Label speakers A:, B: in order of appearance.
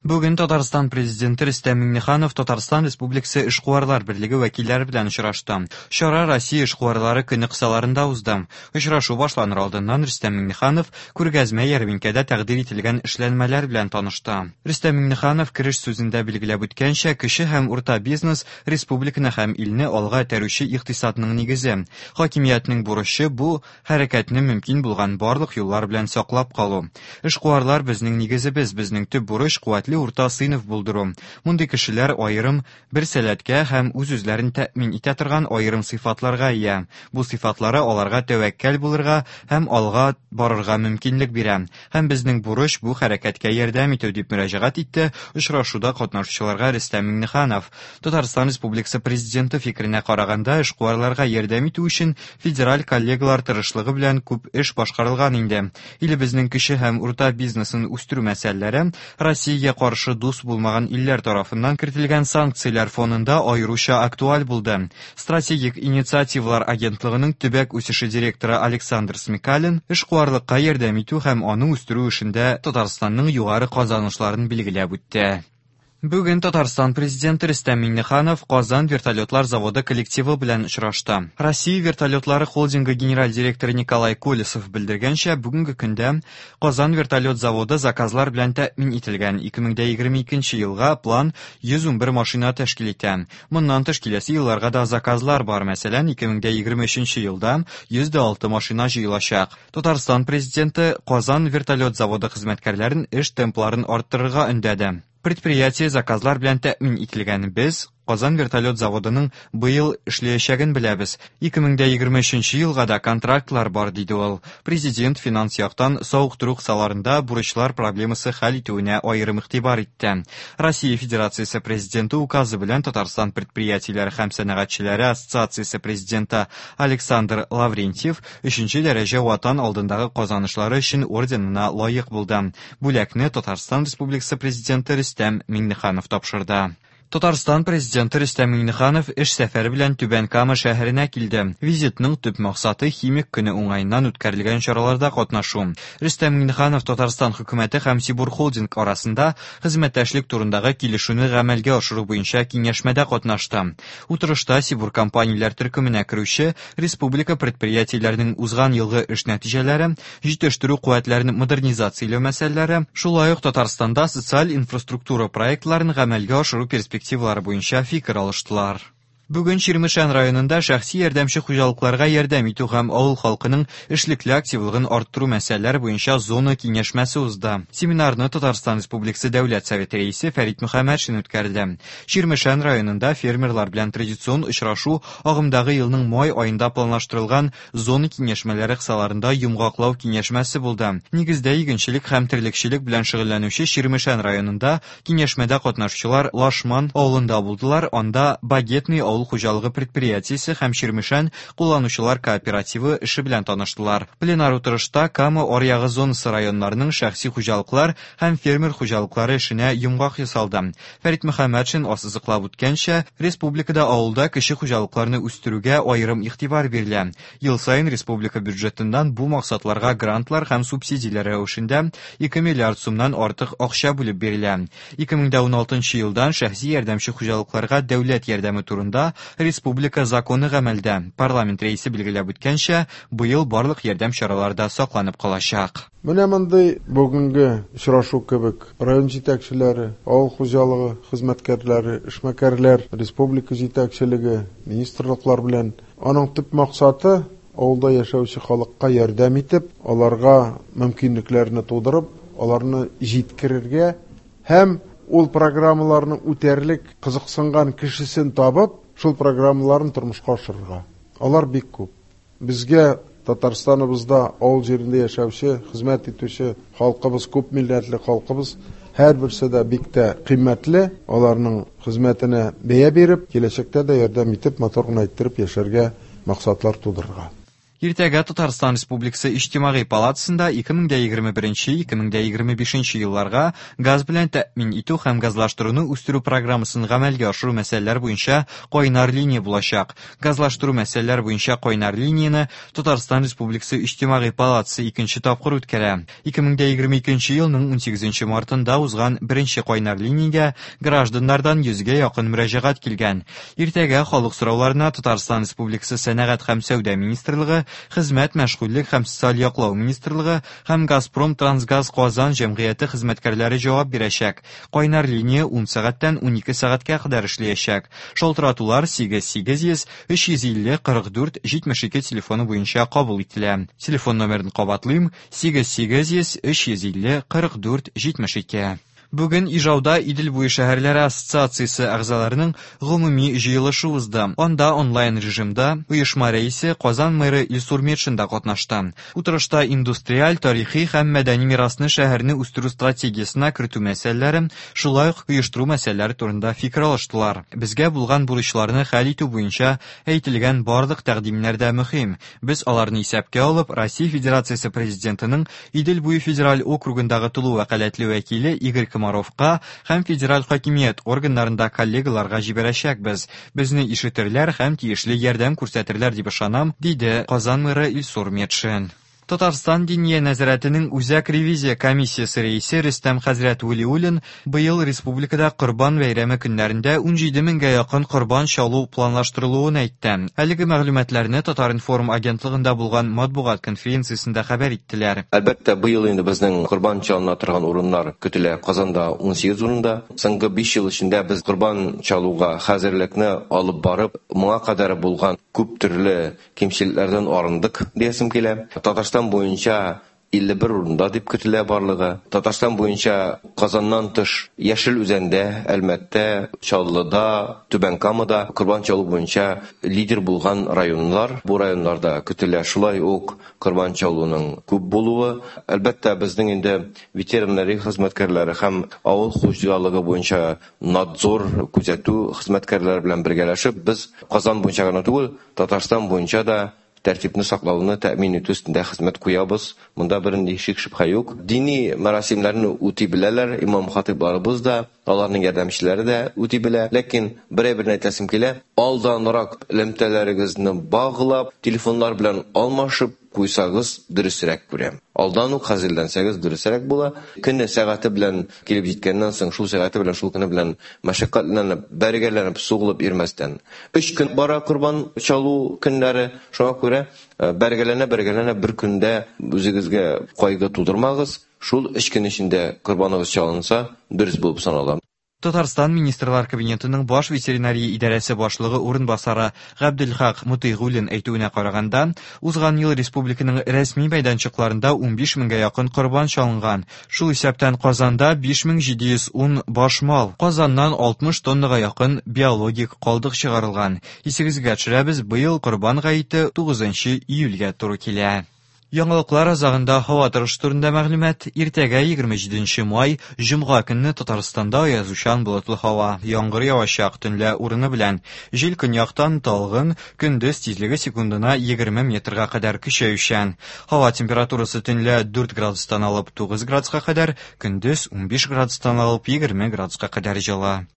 A: Бүген Татарстан Президенты Рөстәм Миңнеханов Татарстан Республикасы Эшкуарлар берлеге вәкилләре белән очрашты. Чара Россия эшкуарлары көне кысаларында узды. Очрашу башланыр алдыннан Рөстәм Миңнеханов күргәзмә-ярминкәдә тәкъдир ителгән эшләнмәләр белән танышты. Рөстәм Миңнеханов кереш сүзендә билгеләп үткәнчә, кече һәм урта бизнес республиканы һәм илне алга этәрүче икътисадның нигезе. Хакимиятнең бурычы бу хәрәкәтне мөмкин булган барлык юллар белән саклап калу. Эшкуарлар безнең нигезебез, безнең төп бурыч куәтле урта сыйныф булдыру. Мондый кешеләр аерым бер сәләткә һәм үз-үзләрен тәэмин итә торган аерым сыйфатларга ия. Бу сыйфатлары аларга тәвәккәл булырга һәм алга барырга мөмкинлек бирә. Һәм безнең бурыч бу хәрәкәткә ярдәм итү, дип мөрәҗәгать итте очрашуда катнашучыларга Рөстәм Миңнеханов. Татарстан Республикасы Президенты фикеренә караганда, эшкуарларга ярдәм итү өчен федераль коллегалар тырышлыгы белән күп эш башкарылган инде. Илебезнең кече һәм урта бизнесын үстерү мәсьәләләре Россиягә каршы дус булмаган илләр тарафыннан кертелгән санкцияләр фонында аеруча актуаль булды. Стратегик инициативалар агентлыгының төбәк үсеше директоры Александр Смекалин эшкуарлыкка ярдәм итү һәм аны үстерү эшендә Татарстанның югары казанышларын билгеләп үтте. Бүген Татарстан Президенты Рөстәм Миңнеханов Казан вертолетлар заводы коллективы белән очрашты. Россия вертолетлары холдингы генераль директоры Николай Колесов белдергәнчә, бүгенге көндә Казан вертолет заводы заказлар белән тәэмин ителгән. 2022 елга план 111 машина тәшкил итә. Моннан тыш киләсе елларга да заказлар бар. Мәсәлән, 2023 елда 106 машина җыелачак. Татарстан Президенты Казан вертолет заводы хезмәткәрләрен эш темпларын арттырырга өндәде. Предприятие заказлар белән тәэмин ителгән. Без Казан вертолет заводының быел эшләячәген беләбез. 2023 елга да контрактлар бар, диде ул. Президент финанс яктан савыктыру кысаларында бурычлар проблемасы хәл итүенә аерым игътибар итте. Россия Федерациясе Президенты указы белән Татарстан предприятиеләре һәм сәнәгатьчеләре ассоциациясе президенты Александр Лаврентьев өченче дәрәҗә Ватан алдындагы казанышлары өчен орденына лаек булды. Бүләкне Татарстан Республикасы Президенты Рөстәм Миңнеханов тапшырды. Татарстан Президенты Рөстәм Миңнеханов эш сәфәре белән Түбән Кама шәһәренә килде. Визитның төп максаты химик көне уңаеннан үткәрелгән чараларда катнашу. Рөстәм Миңнеханов Татарстан хөкүмәте һәм Сибур Холдинг арасында хезмәттәшлек турындагы килешүне гамәлгә ашыру буенча киңәшмәдә катнашты. Утырышта Сибур компанияләр төркеменә керүче республика предприятиеләренең узган елгы эш нәтиҗәләре, җитештерү куәтләрен модернизацияләү мәсьәләләре, шулай ук Татарстанда социаль инфраструктура проектларын гамәлгә ашыру перспективалары буенча фикер алыштылар. Бүген Чирмешән районында шәхси ярдәмче хуҗалыкларга ярдәм итү һәм авыл халкының эшлекле активлыгын арттыру мәсьәләләре буенча зона киңәшмәсе узды. Семинарны Татарстан Республикасы Дәүләт Советы рәисе Фәрит Мөхәммәтшин үткәрде. Чирмешән районында фермерлар белән традицион очрашу агымдагы елның май аенда планлаштырылган Зона киңәшмәләре кысаларында йомгаклау киңәшмәсе булды. Нигездә игенчелек һәм терлекчелек белән шөгыльләнүче Чирмешән районында киңәшмәдә катнашучылар Лашман авылында булдылар, анда Багетный авыл хуҗалыгы предприятиесе һәм Чирмешән кулланучылар кооперативы эше белән таныштылар. Пленар утырышта Кама аръягы зонасы районнарының шәхси хуҗалыклар һәм фермер хуҗалыклары эшенә йомгак ясалды. Фәрит Мөхәммәтшин ассызыклап үткәнчә, республикада авылда кече хуҗалыкларны үстерүгә аерым игътибар бирелә. Ел саен республика бюджетыннан бу максатларга грантлар һәм субсидияләр рәвешендә 2 миллиард сумнан артык акча бүлеп бирелә. 2016 елдан шәхси ярдәмче хуҗалыкларга дәүләт ярдәме турында республика законы гамәлдә. Парламент рәисе билгеләп үткәнчә, быел барлык ярдәм чаралары да сакланып калачак.
B: Менә мондый бүгенге очрашу кебек район җитәкчеләре, авыл хуҗалыгы хезмәткәрләре, эшмәкәрләр, республика җитәкчелеге, министрлыклар белән. Аның төп максаты, авылда яшәүче халыкка ярдәм итеп, аларга мөмкинлекләрне тудырып, аларны җиткерергә һәм ул программаларны үтәрлек кызыксынган кешесен табып, шул программаларны тормышка ашырырга. Алар бик күп. Безгә Татарстаныбызда авыл җирендә яшәүче, хезмәт итүче халкыбыз, күп милләтле халкыбыз һәрберсе дә бик тә кыйммәтле. Аларның хезмәтенә бәя биреп, киләчәктә дә ярдәм итеп, матур гына иттереп яшәргә максатлар тудырырга.
A: Иртәгә Татарстан Республикасы Иҗтимагый палатасында 2021-2025 елларга газ белән тәэмин итү һәм газлаштыруны үстерү программасын гамәлгә ашыру мәсьәләләре буенча кайнар линия булачак. Газлаштыру мәсьәләләре буенча кайнар линияне Татарстан Республикасы Иҗтимагый палатасы икенче тапкыр үткәрә. 2022 елның 18 мартында узган беренче кайнар линиягә гражданнардан 100гә якын мөрәҗәгать килгән. Иртәгә халык сорауларына Татарстан Республикасы Сәнәгать һәм сәүдә министрлыгы, Хезмәт, мәшгульлек һәм социаль яклау министрлыгы һәм Газпром трансгаз Казан җәмгыяте хезмәткәрләре җавап бирәчәк. Кайнар линия 10 сәгатьтән 12 сәгатькә кадәр эшләячәк. Шалтыратулар 8 800 350 44 72 телефоны буенча кабул ителә. Телефон номерын кабатлыйм: 8 800 350 44 72. Бүген Ижауда Идел буе шәһәрләре ассоциациясе әгъзаларының гомуми җыелышы узды. Анда онлайн режимда оешма рәисе Казан мэры Илсур Метшин да катнашты. Утырышта индустриаль, тарихи һәм мәдәни мирасны шәһәрне үстерү стратегиясенә кертү мәсьәләләре, шулай ук оештыру мәсьәләләре турында фикер алыштылар. Безгә булган бурычларны хәл итү буенча әйтелгән барлык тәкъдимнәр дә мөһим. Без аларны исәпкә алып, Россия Федерациясе Президентының Идел буе федераль округындагы тулы вәкаләтле вәкиле Игорь Комаровка һәм федераль хакимият органнарында коллегаларга җибәрәчәкбез. Безне ишетерләр һәм тиешле ярдәм күрсәтерләр дип ышанам, диде Казан мэры Илсур Метшин. Татарстан Диния нәзарәтенең Үзәк ревизия комиссиясе рәисе Рөстәм хәзрәт Вәлиуллин быел республикада Корбан бәйрәме көннәрендә 17 меңгә якын корбан чалу планлаштырылуын әйтте. Әлеге мәгълүматларны Татар-информ агентлыгында булган матбугат конференциясендә хәбәр иттеләр.
C: Әлбәттә, быел инде безнең корбан чалына торган урыннар көтелә. Казанда 18 урында. Соңгы 5 ел эчендә без корбан чалуга хәзерлекне алып барып, моңа кадәр булган күп төрле кимчелекләрдән арындык диясем килә. Татарстан буенча 51 урында дип көтелә барлыгы. Татарстан буенча Казаннан тыш Яшел Үзәндә, Әлмәттә, Чаллыда, Түбән Камада корбан чалу буенча лидер булган районнар. Бу районнарда көтелә шулай ук корбан чалуның күп булуы. Әлбәттә, безнең инде ветеринария хезмәткәрләре һәм авыл хуҗалыгы буенча надзор күзәтү хезмәткәрләре белән бергәләшеп, без Казан буенча гына түгел, Татарстан буенча да тәртипне саклауны тәэмин итү өстендә хезмәт куябыз. Монда бернинди шик шөбһә юк. Дини мәрасимнәрне үти беләләр, имам хатыйбларыбыз да, аларның ярдәмчеләре дә үти белә. Ләкин бер әйберне әйтәсем килә, алданрак элемтәләрегезне баглап, телефоннар белән алмашып куйсагыз дөресрәк күрәм. Алдан ук хәзерләнсәгез дөресрәк була. Көне сәгате белән килеп җиткәннән соң, шул сәгате белән, шул көне белән мәшәкатьләнеп, бәргәләнеп, сугылып йөрмәстән. 3 көн бара корбан чалу көннәре, шуңа күрә бәргәләнә-бәргәләнә бер көндә үзегезгә кайгы тудырмагыз. Шул 3 көн эчендә корбаныгыз чалынса, дөрес булып санала.
A: Татарстан Министрлар Кабинетының баш ветеринария идарәсе башлыгы урынбасары Габделхак Мутыйгуллин әйтүенә караганда, узган ел республиканың рәсми мәйданчыкларында 15 меңгә якын корбан чалынган. Шул исәптән Казанда 5710 баш мал, Казаннан 60 тоннага якын биологик калдык чыгарылган. Исегезгә төшерәбез, быел Корбан гаете 9 июльгә туры килә. Яңалыклар азагында һава торышы турында мәгълүмат. Иртәгә 27 май, җомга көнне Татарстанда аязучан болытлы һава, яңгыр явачак, төнлә урыны белән. Җил көньяктан талгын, көндез тизлеге секундына 20 метрга кадәр көчәючән. Һава температурасы төнлә 4 градустан алып 9 градуска кадәр, көндез 15 градустан алып 20 градуска кадәр җылы.